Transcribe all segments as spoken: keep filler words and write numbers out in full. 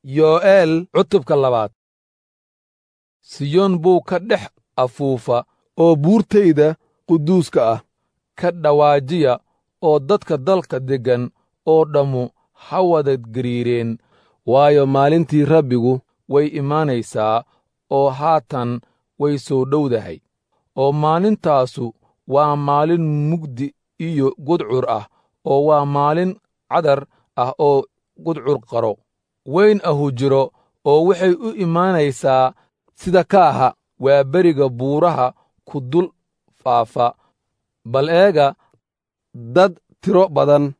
Yo'eel cutubka labaad. Siyoon buu ka dhex afuufa oo buurtayda quduuska ah ka dhawaajiya, oo dadka dalka deggan oo dhammu ha wada gariireen, waayo, maalintii Rabbigu way imaanaysaa oo haatan way soo dhowdahay. Oo maalintaasu waa maalin mugdi iyo gudcur ah, oo waa maalin cadar ah oo gudcur qaro weyn ahu jiro, oo waxay u imaanaysaa sida kaaha waa beriga buuraha ku dul faafa. Bal eega, dad tiro badan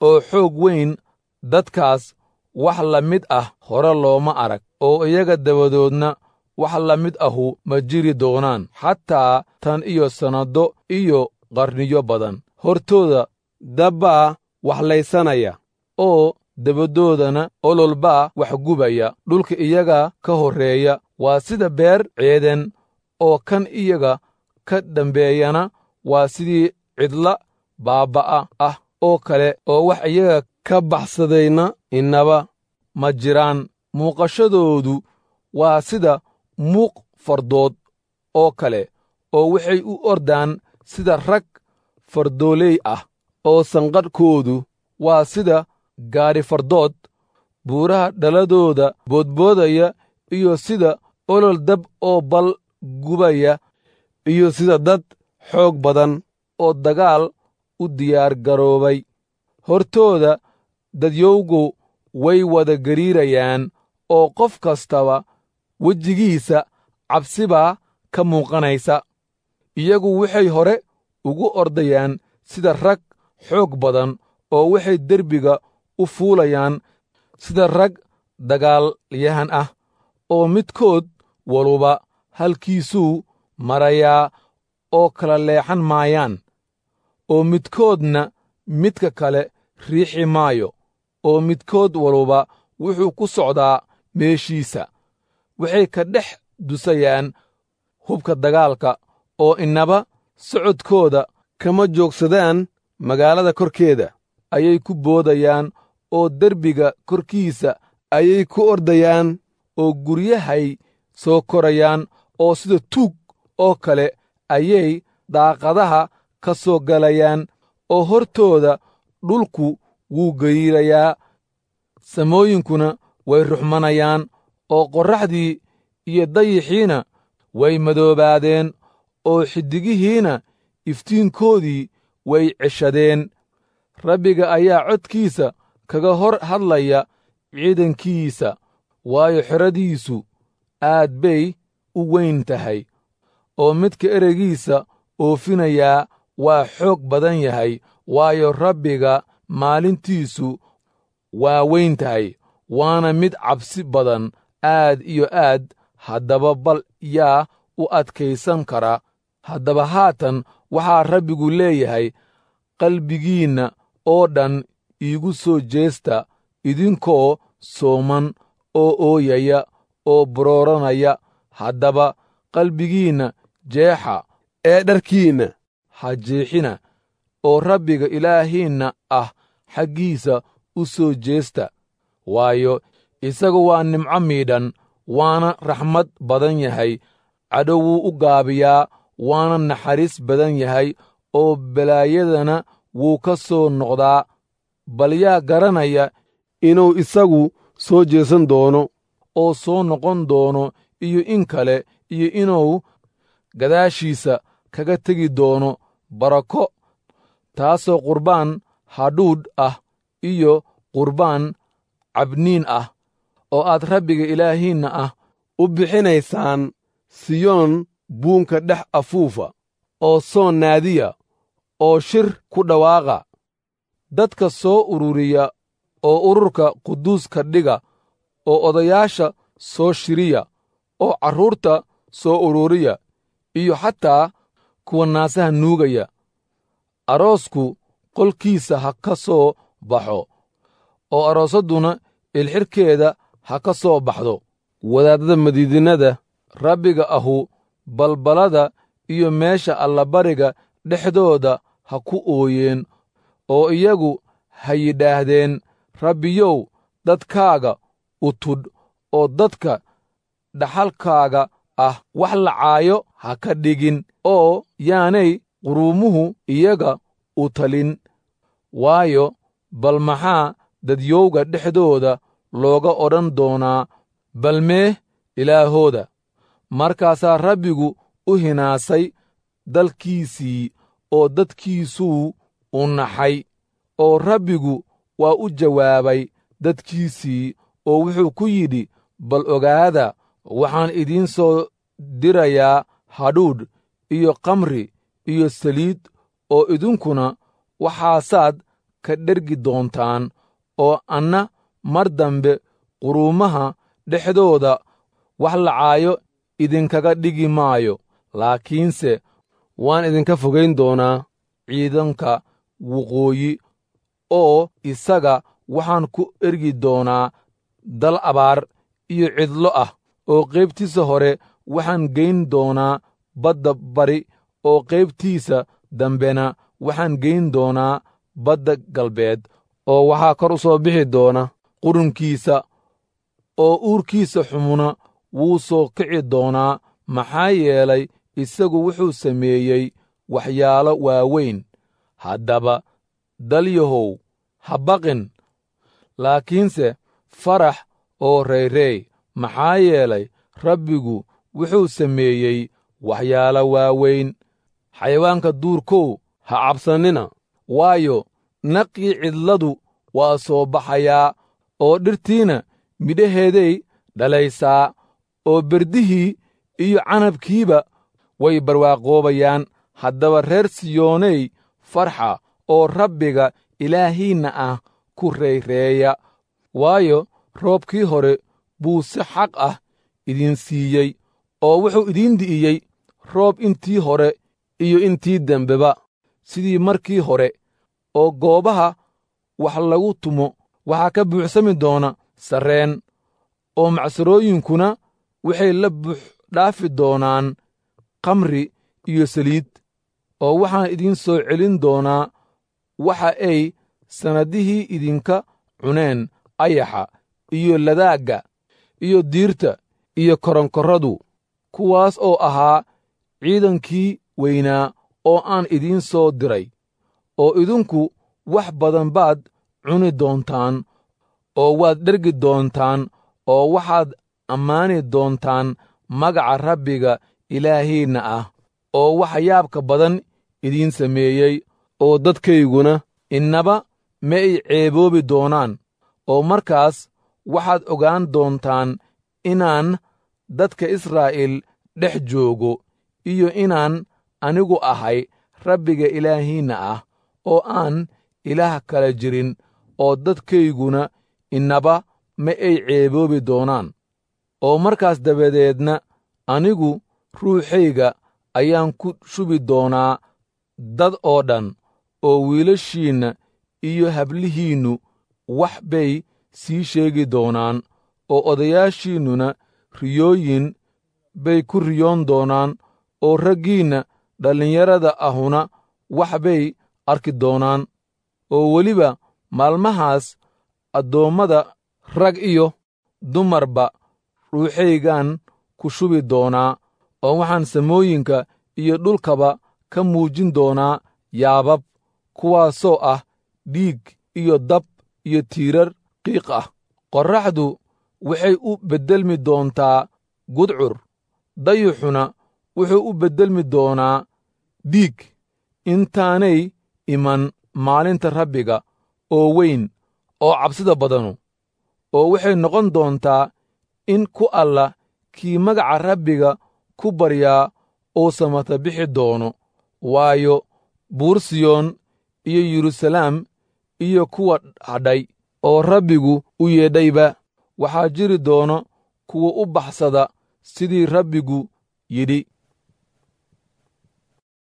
oo xoog weyn, dadkaas wax la mid ah hore looma arag, oo iyaga dabadoodna wax la mid ahu ma jiri doonaan, xataa tan iyo sannado iyo qarniyo badan. Hortooda dabbaa wax laysanaya, oo dabadoodana olol baa wax gubaya. Dhulka iyaga ka horreeya waa sida beer ceeden, oo kan iyaga ka dambeeyana waa sidii cidla baabba'a ah oo kale, oo wax iyaga ka baxsadayna innaba ma jiraan. Muuqashadoodu waa sida muuq fardood oo kale, oo waxay u ordaan sida rag fardooley ah, oo sanqadhkoodu waa sida gaadhi fardood buuraha dhaladooda boodboodaya, iyo sida olol dab oo bal gubaya, iyo sida dad xoog badan oo dagaal u diyaargaroobay. Hortooda dadyowgu way wada gariirayaan, oo qof kastaba wejigiisa cabsi baa ka muuqanaysa. Iyagu waxay hore ugu ordayaan sida rag xoog badan, oo waxay derbiga u fuulayaan sida rag dagaalyahan ah, oo midkood waluba halkiisuu marayaa oo kala leexan maayaan, oo midkoodna midka kale riixi maayo, oo midkood waluba wuxuu ku socdaa meeshiisa. Waxay ka dhex dusayaan hubka dagaalka, oo innaba socodkooda kama joogsadaan. Magaalada korkeeda ayay ku boodayaan, oo derbiga korkiisa ayay ku ordayaan, oo guryahay soo korayaan, oo sida tuug oo kale ayay daaqadaha ka soo galayaan, oo hortooda dhulku wuu gariirayaa, samooyinkuna way ruxmanayaan, oo qorraxdii iyo dayixiina way madoobaadeen, oo xiddigihiina iftiinkoodii way ceshadeen. Rabbiga ayaa codkiisa kaga hor hadlaya ciidankiisa, waayo, xeradiisu aad bay u weyn tahay, oo midka ereygiisa oofinayaa waa xoog badan yahay, waayo, Rabbiga maalintiisu waa weyn tahay, waana mid cabsi badan aad iyo aad. Haddaba bal yaa u adkaysan kara? Haddaba haatan waxaa Rabbigu leeyahay, qalbigiinna oo dhan iigu soo jeesta, idinkoo sooman oo ooyaya oo barooranaya. Haddaba qalbigiinna jeexa ee dharkiinna ha jeexina, oo Rabbiga Ilaahiinna ah xaggiisa u soo jeesta, waayo, isagu waa nimco miidhan, waana raxmad badan yahay, cadho wuu u gaabiyaa, waana naxariis badan yahay, oo balaayadana wuu ka soo noqdaa. Bal yaa garanaya inuu isagu soo jeesan doono oo soo noqon doono iyo in kale, iyo inuu gadaashiisa kaga tegi doono barako, taasoo qurbaan hadhuudh ah iyo qurbaan cabniin ah oo aad Rabbiga Ilaahiinna ah u bixinaysaan? Siyoon buunka dhex afuufa, oo soon naadiya, oo shir ku dhawaaqa. Dadka soo ururiya, oo ururka quduuska dhiga, oo odayaasha soo shiriya, oo carruurta soo ururiya, iyo xataa kuwa naasaha nuugaya. Aroosku qolkiisa ha ka soo baxo, oo aroosadduna ilxidhkeeda ha ka soo baxdo. Wadaaddada madiidinada Rabbiga ahu balbalada iyo meesha allabariga dhexdooda ha ku ooyeen, oo iyagu ha yidhaahdeen, Rabbiyow, dadkaaga u tudh oo dadka dhaxalkaaga ah wax lacaayo ha ka dhigin, oo yaanay quruumuhu iyaga u talin. Waayo, bal maxaa dadyowga dhexdooda looga odhan doonaa, bal mee ilaahooda? Markaasaa Rabbigu u hinaasay dalkiisii oo dadkiisuu u naxay. Oo Rabbigu waa u jawaabay dadkiisii oo wuxuu ku yidhi, bal ogaada, waxaan idiin soo dirayaa hadhuudh iyo khamri iyo saliid, oo idinkuna waxaasaad ka dhergi doontaan, oo anna mar dambe quruumaha dhexdooda wax lacaayo idinkaga dhigi maayo, laakiinse waan idinka fogayn doonaa ciidanka waqooyi, oo isaga waxaan ku ergi doonaa dal abaar iyo cidlo ah, oo qaybtiisa hore waxaan geyn doonaa badda bari, oo qaybtiisa dambena waxaan geyn doonaa badda galbeed, oo waxaa kor u soo bixi doona qurunkiisa, oo uurkiisa xumuna wuu soo kici doonaa, maxaa yeelay isagu wuxuu sameeyey waxyaalo waaweyn. Haddaba dalyahow, ha baqin, laakiinse farax oo reyrey, maxaa yeelay Rabbigu wuxuu sameeyey waxyaalo waaweyn. Xayawaanka duurkow, ha cabsannina, waayo, naqii cidladu waa soo baxayaa, oo dhirtiina midhaheeday dhalaysaa, oo berdihii iyo canabkiiba way barwaaqoobayaan. Haddaba reer Siyooney, farxa oo Rabbiga Ilaahiinna ah ku reeyreeya, waayo, roobkii hore buu si xaq ah idin siiyey, oo wuxuu idiin di'iyey roob intii hore iyo intii dambeba sidii markii hore. Oo goobaha wax lagu tumo waxaa ka buuxsami doona sarreen, oo macsarooyinkuna waxay la buuxdhaafi doonaan khamri iyo saliid. Oo waxaan idiin soo celin doonaa waxa ay sannadihii idinka cuneen ayaxa iyo ladaagga iyo diirta iyo koronkorradu, kuwaas oo ahaa ciidankii weynaa oo aan idiin soo diray. Oo idinku wax badan baad cuni doontaan oo waad dhergi doontaan, oo waxaad ammaani doontaan magaca Rabbiga Ilaahiinna ah, oo waxa yaabka badan idiin sameeyey, oo dadkayguna innaba ma ay ceeboobi doonaan. Oo markaas waxaad ogaan doontaan inaan dadka Israa'iil dhex joogo, iyo inaan anigu ahay Rabbiga Ilaahiinna ah, oo aan ilaah kala jirin, oo dadkayguna innaba ma ay ceeboobi doonaan. Oo markaas dabadeedna anigu ruuxayga ayaan ku shubi doonaa dad oo dhan, oo wiilashiinna iyo hablihiinnu wax bay sii sheegi doonaan, oo odayaashiinnuna riyooyin bay ku riyoon doonaan, oo raggiinna dhallinyarada ahuna wax bay arki doonaan. Oo weliba maalmahaas addoommada rag iyo dumarba ruuxaygaan ku shubi doonaa, oo waxaan samooyinka iyo dhulkaba ka muujin doonaa yaabab, kuwaasoo ah dhiig iyo dab iyo tiirar qiiq ah. Qorraxdu waxay u beddelmi doontaa gudcur, dayuxuna wuxuu u beddelmi doonaa dhiig, intaanay iman maalinta Rabbiga oo weyn oo cabsida badanu. Oo waxay noqon doontaa in ku alla kii magaca Rabbiga ku baryaa uu samata bixi doono, waayo, buur Siyoon iyo Yeruusalaam iyo kuwa hadhay oo Rabbigu u yeedhayba waxaa jiri doono kuwa u baxsada sidii Rabbigu yidhi.